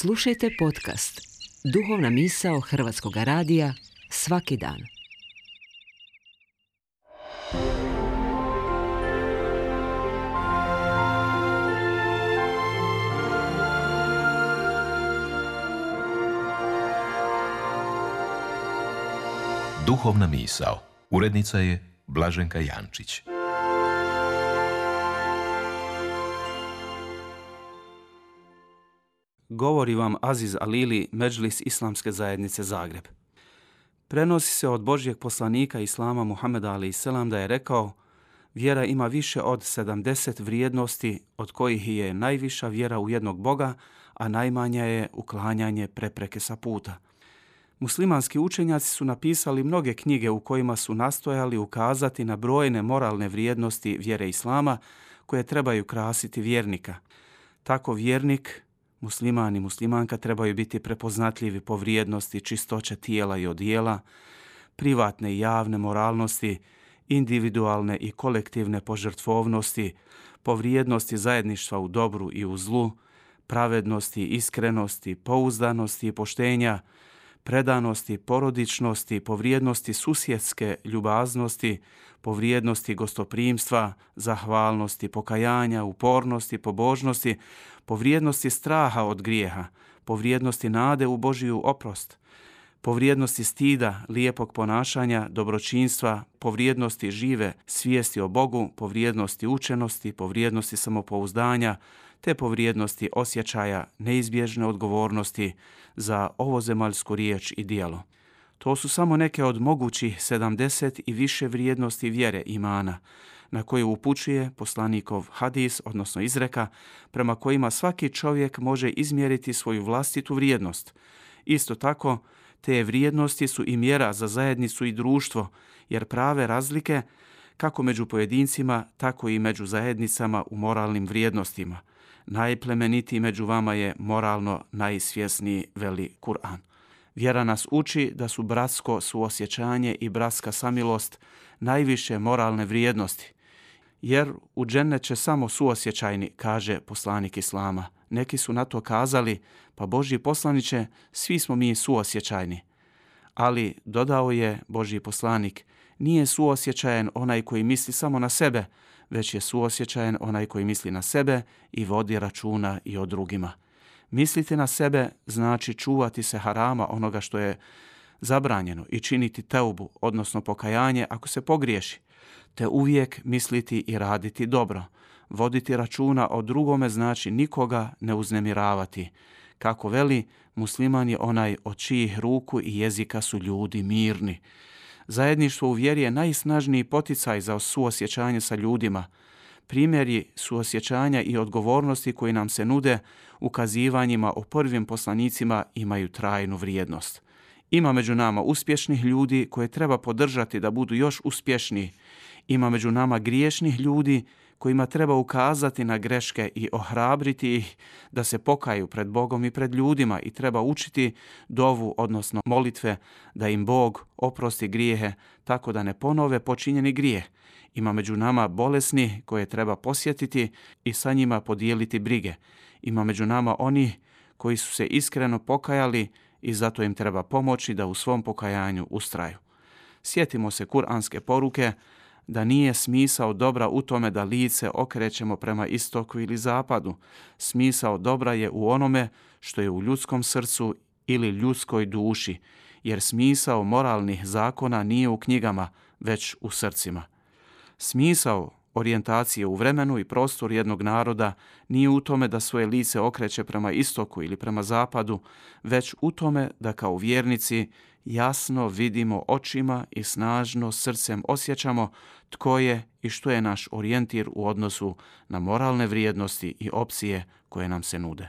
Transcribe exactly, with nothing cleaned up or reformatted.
Slušajte podcast Duhovna misao Hrvatskog radija svaki dan. Duhovna misao. Urednica je Blaženka Jančić. Govori vam Aziz Alili, Medžlis Islamske zajednice Zagreb. Prenosi se od Božjeg poslanika Islama Muhameda alejhi selam da je rekao: vjera ima više od sedamdeset vrijednosti, od kojih je najviša vjera u jednog Boga, a najmanja je uklanjanje prepreke sa puta. Muslimanski učenjaci su napisali mnoge knjige u kojima su nastojali ukazati na brojne moralne vrijednosti vjere Islama koje trebaju krasiti vjernika. Tako vjernik, musliman i muslimanka trebaju biti prepoznatljivi po vrijednosti čistoće tijela i odijela, privatne i javne moralnosti, individualne i kolektivne požrtvovnosti, po vrijednosti zajedništva u dobru i u zlu, pravednosti, iskrenosti, pouzdanosti i poštenja, predanosti, porodičnosti, po vrijednosti susjedske ljubaznosti, po vrijednosti gostoprimstva, zahvalnosti, pokajanja, upornosti, pobožnosti, po vrijednosti straha od grijeha, po vrijednosti nade u Božiju oprost, po vrijednosti stida, lijepog ponašanja, dobročinstva, po vrijednosti žive svijesti o Bogu, po vrijednosti učenosti, po vrijednosti samopouzdanja, te po vrijednosti osjećaja neizbježne odgovornosti za ovozemaljsku riječ i djelo. To su samo neke od mogućih sedamdeset i više vrijednosti vjere imana, na koju upućuje poslanikov hadis, odnosno izreka, prema kojima svaki čovjek može izmjeriti svoju vlastitu vrijednost. Isto tako, te vrijednosti su i mjera za zajednicu i društvo, jer prave razlike kako među pojedincima, tako i među zajednicama u moralnim vrijednostima. Najplemenitiji među vama je moralno najsvjesniji, veli Kur'an. Vjera nas uči da su bratsko suosjećanje i bratska samilost najviše moralne vrijednosti. Jer u džennet će samo suosjećajni, kaže poslanik Islama. Neki su na to kazali: pa Božji poslaniće, svi smo mi suosjećajni. Ali, dodao je Božji poslanik, nije suosjećajan onaj koji misli samo na sebe, već je suosjećajan onaj koji misli na sebe i vodi računa i o drugima. Misliti na sebe znači čuvati se harama, onoga što je zabranjeno, i činiti teubu, odnosno pokajanje ako se pogriješi, te uvijek misliti i raditi dobro. Voditi računa o drugome znači nikoga ne uznemiravati. Kako veli, musliman je onaj od čijih ruku i jezika su ljudi mirni. Zajedništvo u vjeri je najsnažniji poticaj za suosjećanje sa ljudima. Primjeri suosjećanja i odgovornosti koji nam se nude ukazivanjima o prvim poslanicima imaju trajnu vrijednost. Ima među nama uspješnih ljudi koje treba podržati da budu još uspješniji. Ima među nama griješnih ljudi kojima treba ukazati na greške i ohrabriti ih da se pokaju pred Bogom i pred ljudima, i treba učiti dovu, odnosno molitve, da im Bog oprosti grijehe tako da ne ponove počinjeni grijeh. Ima među nama bolesni koje treba posjetiti i sa njima podijeliti brige. Ima među nama oni koji su se iskreno pokajali i zato im treba pomoći da u svom pokajanju ustraju. Sjetimo se kuranske poruke da nije smisao dobra u tome da lice okrećemo prema istoku ili zapadu. Smisao dobra je u onome što je u ljudskom srcu ili ljudskoj duši, jer smisao moralnih zakona nije u knjigama, već u srcima. Smisao orijentacije u vremenu i prostoru jednog naroda nije u tome da svoje lice okreće prema istoku ili prema zapadu, već u tome da kao vjernici jasno vidimo očima i snažno srcem osjećamo tko je i što je naš orijentir u odnosu na moralne vrijednosti i opcije koje nam se nude.